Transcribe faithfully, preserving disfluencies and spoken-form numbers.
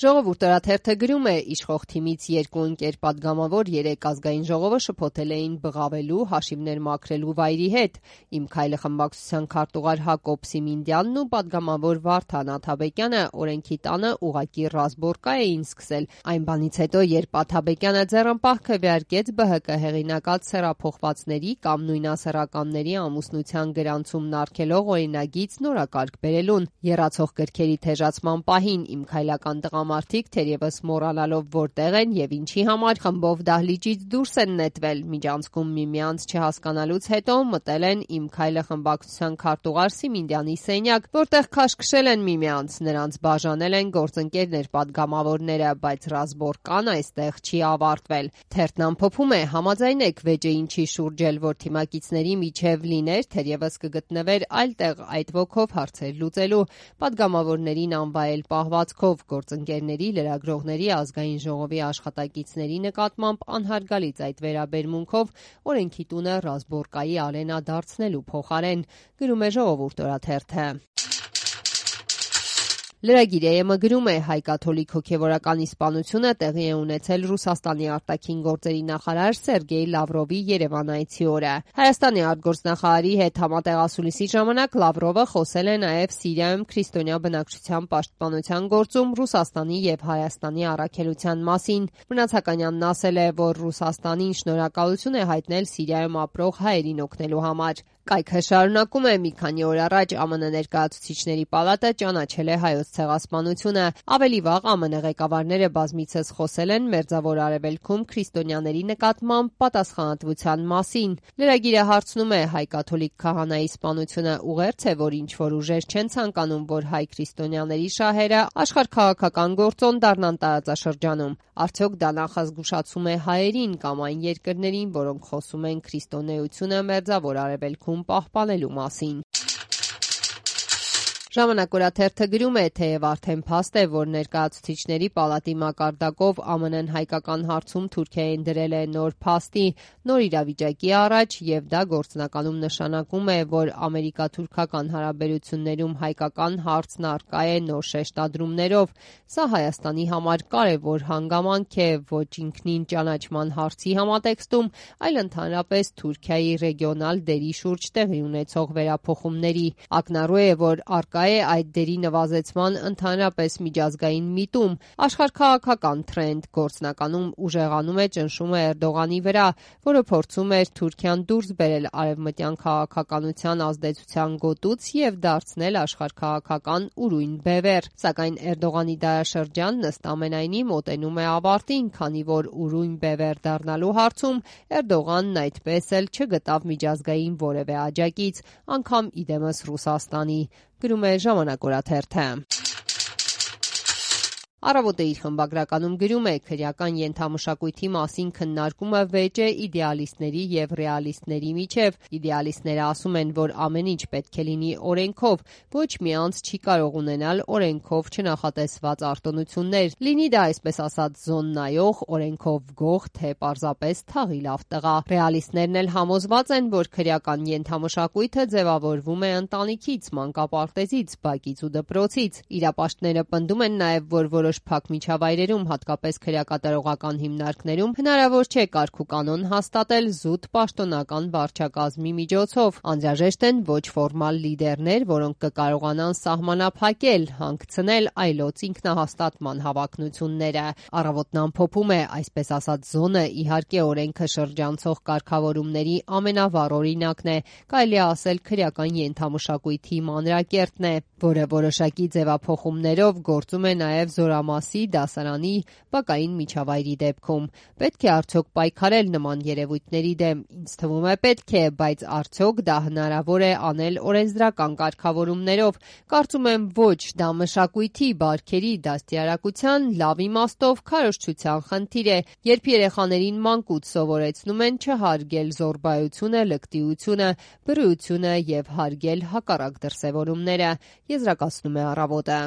Ժողովուրդ օրաթերթը գրում է՝ իշխող թիմից երկու ընկեր պատգամավոր երեկ ազգային ժողովը շփոթել էին բղավելու, հաշիվներ մաքրելու վայրի հետ։ «Իմ քայլը» խմբակցության քարտուղար Հակոբ Սիմինդյանն ու պատգամավոր Վարդան Աթաբեկյանը օրենքի տանը ուղղակի ռազմորկա էին սկսել այն բանից հետո, երբ Աթաբեկյանը ձեռնպահ քվեարկեց Բը Հ Կ հեղինակած սեռափոխվածների կամ նույնասեռականների ամուսնության գրանցումն արգելող օրինագիծ նորակարգ բերելուն։ Եռացող գրքերի թեժացման պահին «Իմ քայլական» տղամարդիկ թերևս մոռանալով որտեղ են եւ ինչի համար, խմբով դահլիճից դուրս են նետվել, միջանցքում միմյանց չհասկանալուց հետո մտել են «Իմ քայլը» խմբակցության քարտուղար Սիմինդյանի սենյակ, որտեղ քաշքշել են միմյանց, նրանց բաժանել են գործընկերներ պատգամավորները, բայց ռազմորկան այստեղ չի ավարտվել։ Թերթն ամփոփում է՝ համաձայնեք վեճը ինչի շուրջ էլ որ թիմակիցների միջև լիներ, թերևս կգտնվեր այլ տեղ այդ ոգով հարցեր լուծելու, պատգամավորներին անվայել պահվածքով, գործընկերների, լրագրողների, ազգային ժողովի աշխատակիցների նկատմամբ անհարգալից այդ վերաբերմունքով օրենքի տունը ռազմորկայի արենա դարձնելու փոխարեն, գրում է Ժողովուրդ օրաթերթը։ Լրագիր Է Էմ-ը գրում է՝ հայ-կաթոլիկ հոգևորականի սպանությունը տեղի է ունեցել Ռուսաստանի արտաքին գործերի նախարար Սերգեյ Լավրովի Երևան այցի օրը։ Հայաստանի արտգործնախարարի հետ համատեղասուլիսի ժամանակ Լավրովը խոսել է նաև Սիրիայում քրիստոնյա բնակչության պաշտպանության գործում Ռուսաստանի եւ Հայաստանի առաքելության մասին։ Մնացականյանն ասել է, որ Ռուսաստանին շնորհակալություն է հայտնել Սիրիայում ապրող հայերին օգնելու համար։ Կայքը շարունակում է՝ մի քանի օր առաջ Ամն Ներկայացուցիչների պալատը ճանաչել է Հայոց ցեղասպանությունը։ Ավելի վաղ Ամն ղեկավարները բազմիցս խոսել են Մերձավոր Արևելքում քրիստոնյաների նկատմամբ պատասխանատվության մասին։ Լրագիրը հարցնում է՝ հայ-կաթոլիկ քահանայի սպանությունը ուղերձ է, որ ինչ-որ ուժեր չեն ցանկանում, որ հայ քրիստոնյաների շահերը աշխարհաքաղաքական գործոն դառնան տարածաշրջանում։ Արդյոք դա նախազգուշացում է հայերին կամ այն երկրներին, որոնք խոսում են քրիստոնեությունը Մերձավոր Արևելքում պահպանելու մասին։ Ժամանակ օրաթերթը գրում է՝ թեև արդեն փաստ է, որ Ներկայացուցիչների պալատի մակարդակով Ամն Են հայկական հարցում Թուրքիային դրել է նոր փաստի, նոր իրավիճակի առաջ, եւ դա գործնականում նշանակում է, որ ամերիկա-թուրքական հարաբերություններում հայկական հարցն առկա է նոր շեշտադրումներով։ Սա Հայաստանի համար կարևոր հանգամանք է ոչ ինքնին ճանաչման հարցի համատեքստում, այլ ընդհանրապես Թուրքիայի ռեգիոնալ դերի շուրջ տեղի ունեցող վերափոխումների։ Ակնառու է, որ առկա է այդ դերի նվազեցման ընդհանրապես միջազգային միտում, աշխարհաքաղաքական թրենդ, գործնականում ուժեղանում է ճնշումը Էրդողանի վրա, որը փորձում էր Թուրքիան դուրս բերել արևմտյան քաղաքականության ազդեցության գոտուց եւ դարձնել աշխարհաքաղաքական ուրույն բևեռ։ Սակայն Էրդողանի դարաշրջանն ըստ ամենայնի մոտենում է ավարտին, քանի որ ուրույն բևեռ դառնալու հարցում Էրդողանն այդպես էլ չգտավ միջազգային որևէ աջակից, անգամ իդեմս Ռուսաստանի, գրում է Ժամանակ օրաթերթը։ Առավոտը իր խմբագրականում գրում է՝ քրեական ենթամշակույթի մասին քննարկումը վեճ է իդեալիստների եւ ռեալիստների միջև։ Իդեալիստները ասում են, որ ամեն ինչ պետք է լինի օրենքով, ոչ մի անձ չի կարող ունենալ օրենքով չնախատեսված արտոնություններ, լինի դա այսպես ասած զոննայող, օրենքով գող, թե պարզապես թաղի լավ տղա։ Ռեալիստներն էլ համոզված են, որ քրեական ենթամշակույթը ձևավորվում է ընտանիքից, մանկապարտեզից, բակից ու դպրոցից։ Իրապաշտները պնդում են նաեւ, որ որոշ փակ միջավայրերում, հատկապես քրեակատարողական հիմնարկներում, հնարավոր չէ կարգ ու կանոն հաստատել զուտ պաշտոնական վարչակազմի միջոցով։ Անհրաժեշտ են ոչ ֆորմալ լիդերներ, որոնք կկարողանան սահմանափակել, հանգցնել այլոց ինքնահաստատման հավակնությունները։ Առավոտն ամփոփում է՝ այսպես ասած զոնը իհարկե օրենքը շրջանցող կարգավորումների ամենավառ օրինակն է, կարելի է ասել քրեական ենթամշակույթի մանրակերտն է, որը որոշակի ձևափոխումներով գործում է նաև զորամասի, դասարանի, բակային միջավայրի դեպքում։ Պետք է արդյոք պայքարել նման երևույթների դեմ։ Ինձ թվում է պետք է, բայց արդյոք դա հնարավոր է անել օրենսդրական կարգավորումներով։ Կարծում եմ ոչ, դա մշակույթի, բարքերի, դաստիարակության, լավ իմաստով քարոզչության խնդիր է, երբ երեխաներին մանկուց սովորեցնում են չհարգել զոռբայությունը, լկտիությունը, բռիությունը եւ հարգել հակառակ դրսևորումները, եզրակացնում է Առավոտը։